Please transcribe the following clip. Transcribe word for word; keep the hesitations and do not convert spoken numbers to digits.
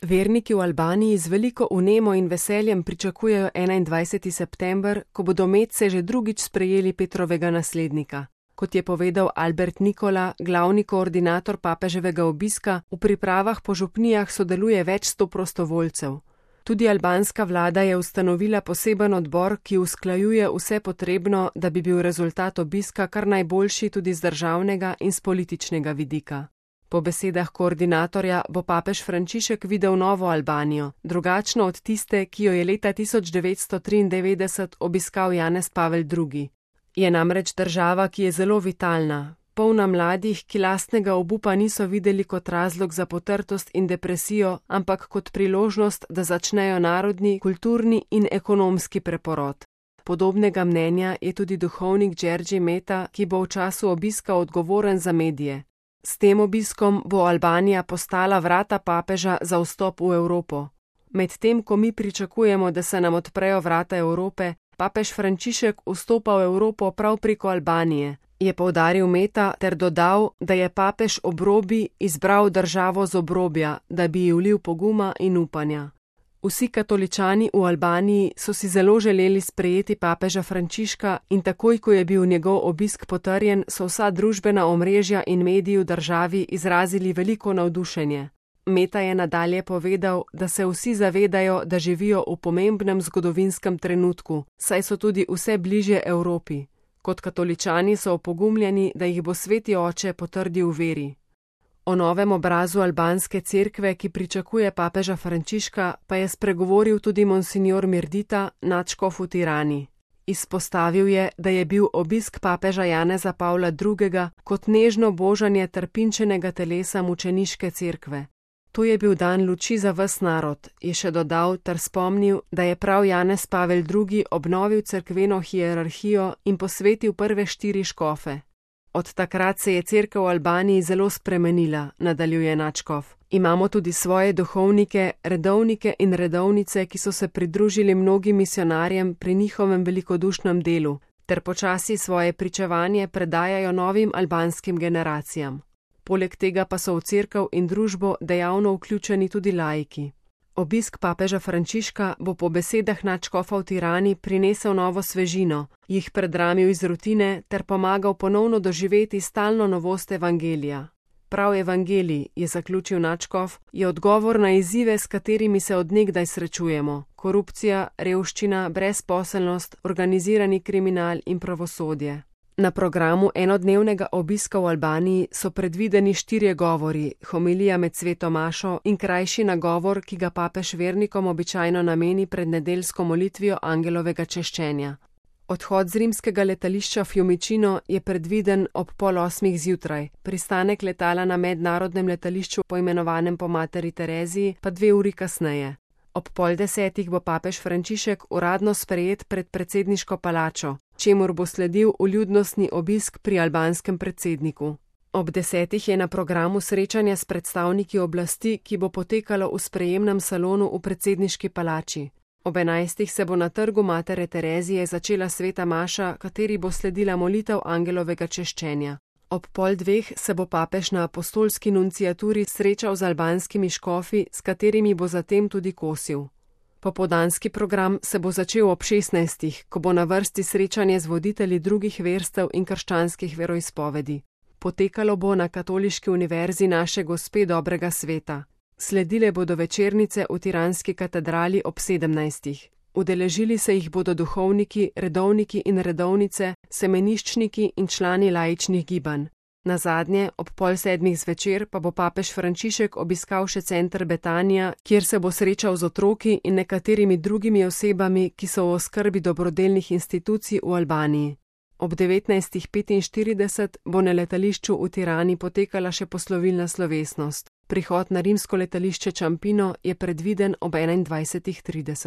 Verniki v Albaniji z veliko vnemo in veseljem pričakujejo enaindvajseti september, ko bodo Medse že drugič sprejeli Petrovega naslednika. Kot je povedal Albert Nikola, glavni koordinator papeževega obiska, v pripravah po župnijah sodeluje več sto prostovoljcev. Tudi albanska vlada je ustanovila poseben odbor, ki usklajuje vse potrebno, da bi bil rezultat obiska kar najboljši tudi z državnega in z političnega vidika. Po besedah koordinatorja bo papež Frančišek videl novo Albanijo, drugačno od tiste, ki jo je leta tisoč devetsto triindevetdeset obiskal Janez Pavel drugi. Je namreč država, ki je zelo vitalna, polna mladih, ki lastnega obupa niso videli kot razlog za potrtost in depresijo, ampak kot priložnost, da začnejo narodni, kulturni in ekonomski preporod. Podobnega mnenja je tudi duhovnik Đerđi Meta, ki bo v času obiska odgovoren za medije. S tem obiskom bo Albanija postala vrata papeža za vstop v Evropo. Medtem, ko mi pričakujemo, da se nam odprejo vrata Evrope, papež Frančišek vstopa v Evropo prav preko Albanije, je poudaril Meta ter dodal, da je papež ob robi izbral državo z obrobja, da bi ji vlil poguma in upanja. Vsi katoličani v Albaniji so si zelo želeli sprejeti papeža Frančiška in takoj, ko je bil njegov obisk potrjen, so vsa družbena omrežja in mediji v državi izrazili veliko navdušenje. Meta je nadalje povedal, da se vsi zavedajo, da živijo v pomembnem zgodovinskem trenutku, saj so tudi vse bližje Evropi. Kot katoličani so opogumljeni, da jih bo Sveti Oče potrdil v veri. O novem obrazu albanske cerkve, ki pričakuje papeža Frančiška, pa je spregovoril tudi monsignor Mirdita, nadškof v Tirani. Izpostavil je, da je bil obisk papeža Janeza Pavla drugega kot nežno božanje trpinčenega telesa mučeniške cerkve. To je bil dan luči za ves narod, je še dodal ter spomnil, da je prav Janez Pavel drugi obnovil cerkveno hierarhijo in posvetil prve štiri škofe. Od takrat se je cerkev v Albaniji zelo spremenila, nadaljuje nadškof. Imamo tudi svoje duhovnike, redovnike in redovnice, ki so se pridružili mnogim misionarjem pri njihovem velikodušnem delu, ter počasi svoje pričevanje predajajo novim albanskim generacijam. Poleg tega pa so v cerkev in družbo dejavno vključeni tudi laiki. Obisk papeža Frančiška bo po besedah nadškofa v Tirani prinesel novo svežino, jih predramil iz rutine ter pomagal ponovno doživeti stalno novost evangelija. Prav evangelij, je zaključil nadškof, je odgovor na izzive, s katerimi se od nekdaj srečujemo: korupcija, revščina, brezposelnost, organizirani kriminal in pravosodje. Na programu enodnevnega obiska v Albaniji so predvideni štirje govori, homilija med sveto mašo in krajši nagovor, ki ga papež vernikom običajno nameni pred nedeljsko molitvijo angelovega češčenja. Odhod z rimskega letališča Fiumicino je predviden ob pol osmih zjutraj, pristanek letala na mednarodnem letališču poimenovanem po materi Tereziji pa dve uri kasneje. Ob pol desetih bo papež Frančišek uradno sprejet pred predsedniško palačo, čemur bo sledil vljudnostni obisk pri albanskem predsedniku. Ob desetih je na programu srečanje s predstavniki oblasti, ki bo potekalo v sprejemnem salonu v predsedniški palači. Ob enajstih se bo na trgu matere Terezije začela sveta maša, kateri bo sledila molitev angelovega češčenja. Ob pol dveh se bo papež na apostolski nunciaturi srečal z albanskimi škofi, s katerimi bo zatem tudi kosil. Popoldanski program se bo začel ob šestnajstih, ko bo na vrsti srečanje z voditelji drugih verstev in krščanskih veroizpovedi. Potekalo bo na Katoliški univerzi Naše Gospe dobrega sveta. Sledile bodo večernice v Tiranski katedrali ob sedemnajstih. Udeležili se jih bodo duhovniki, redovniki in redovnice, semeniščniki in člani laičnih gibanj. Nazadnje, ob pol sedmih zvečer pa bo papež Frančišek obiskal še center Betanija, kjer se bo srečal z otroki in nekaterimi drugimi osebami, ki so v oskrbi dobrodelnih institucij v Albaniji. Ob devetnajstih petinštirideset bo na letališču v Tirani potekala še poslovilna slovesnost. Prihod na rimsko letališče Čampino je predviden ob enaindvajsetih trideset.